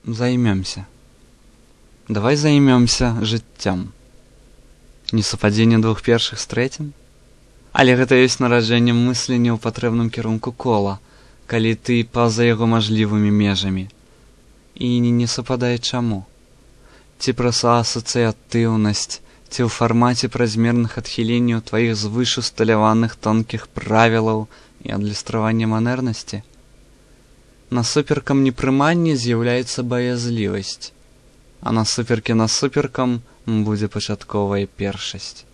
займемся. Давай займемся жыццём. Несупадзенне двух першых з трэцім? Але гэта ёсць нараджэнне мыслення ў патрэбным кірунку кола, калі ты па-за яго мажлівымі межамі. І не супадае чаму? Ці праз асацыятыўнасць, ці ў фармаце празмерных адхіленняў тваіх звыш усталяваных тонкіх правілаў і адлюстравання манернасці? Насуперкам непрымання з'яўляецца баязлівасць, а насуперкам будзе пачатковая першасць.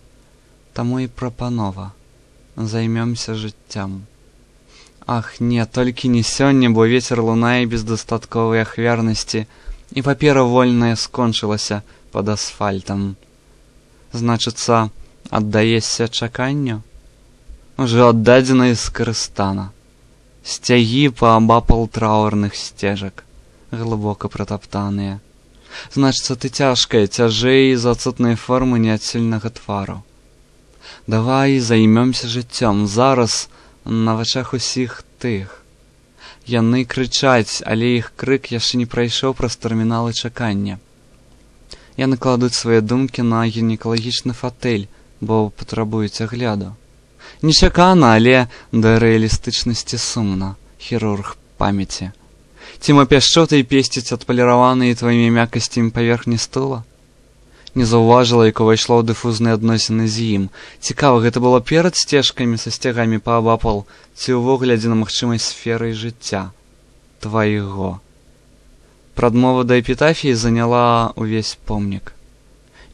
Таму і прапанова. Займемся жыццём. Ах, не, толькі не сёння, бо вецер лунае без дастатковай ахвярнасці, і папера вольная скончылася пад асфальтам. Значыцца, аддаешся чаканню? Ужо аддадзена і скарыстана. Сцягі паабапал траўрных сцежак, глыбока пратаптаныя. Значыцца, ты цяжкая, цяжэй з адсутнай формы неадсельнага твару. Давай займемся жыццём зараз на вачах усіх тых. Яны крычаць, але іх крык яшчэ не прайшоў праз тэрміналы чакання. Яны кладуць свае думкі на гінекалагічны фатэль, бо патрабуюць агляду. Нечакана, але да рэалістычнасці сумна, хірург памяці. Ці мо пяшчотай песціць адпаліраваныя тваімі мяккасцямі паверхні стула? Не заўважыла, як увайшла ў дыфузныя адносіны з ім. Цікава, гэта было перад сцежкамі са сцягамі паабапал, ці ўвогуле адзіна магчымай сферай жыцця твайго. Прадмова да эпітафіі заняла ўвесь помнік.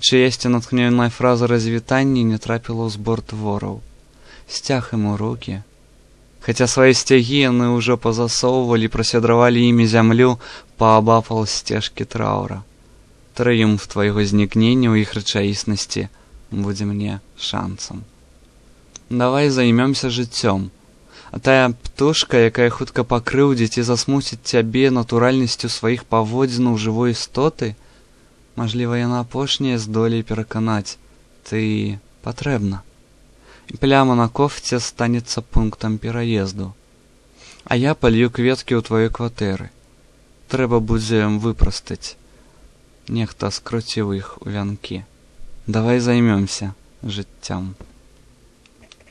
Чыясьці натхнёная фраза развітання не трапіла ў збор твораў. Сцяг ім у рукі. Хаця свае сцягі яны ўжо пазасоўвалі, прасядравалі імі зямлю паабапал сцежкі траўра. Трыумф твайго знікнення ў іх рэчаіснасці будзе мне шансам. Давай займемся жыццём. А тая птушка, якая хутка пакрыўдзіць і засмуціць цябе натуральнасцю сваіх паводзінаў жывой істоты, мажліва, яна апошняя здолей пераканаць, ты патрэбна. І пляма на кофце станецца пунктам пераезду. А я палью кветкі ў тваёй кватэры. Трэба будзе выпрастаць. Нехта скруціў іх у вянкі. Давай займемся жыццём.